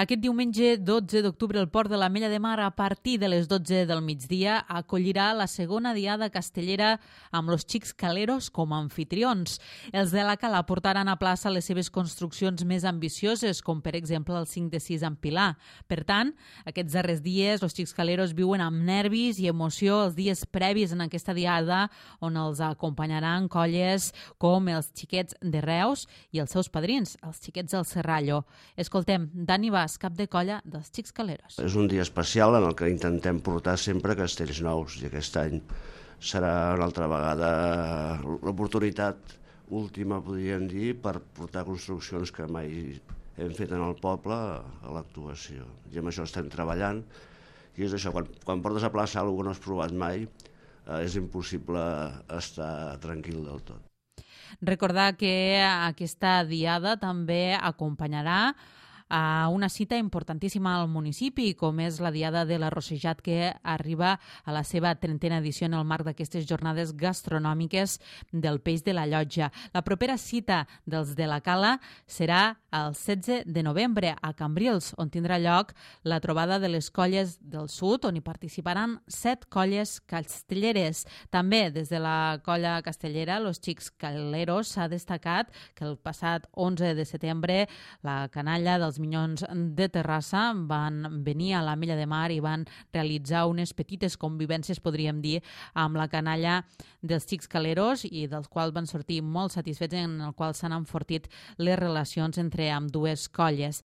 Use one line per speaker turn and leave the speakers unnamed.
Aquest diumenge 12 d'octubre el Port de l'Ametlla de Mar, a partir de les 12 del migdia, acollirà la segona diada castellera amb los Xics Caleros com a anfitrions. Els de la Cala portaran a plaça les seves construccions més ambicioses, com per exemple el 5 de 6 en Pilar. Per tant, aquests darrers dies, los Xics Caleros viuen amb nervis i emoció els dies previs en aquesta diada, on els acompanyaran colles com els Xiquets de Reus i els seus padrins, els Xiquets del Serrallo. Escoltem Dani Bas, cap de colla dels Xics Caleros.
És un dia especial en el que intentem portar sempre castells nous, i aquest any serà una altra vegada l'oportunitat última, podríem dir, per portar construccions que mai hem fet en el poble a l'actuació. I amb això estem treballant, i és això, quan portes a plaça alguna cosa que no has provat mai, és impossible estar tranquil del tot.
Recordar que aquesta diada també acompanyarà a una cita importantíssima al municipi, com és la Diada de l'Arrossejat, que arriba a la seva 30a edició en el marc d'aquestes jornades gastronòmiques del peix de la Llotja. La propera cita dels de la Cala serà el 16 de novembre a Cambrils, on tindrà lloc la trobada de les colles del sud, on hi participaran 7 colles castelleres. També des de la colla castellera, los Xics Caleros, s'ha destacat que el passat 11 de setembre la canalla dels Minyons de Terrassa van venir a l'Ametlla de Mar i van realitzar unes petites convivències, podríem dir, amb la canalla dels Xics Caleros, i dels quals van sortir molt satisfets, en el qual s'han enfortit les relacions entre ambdues colles.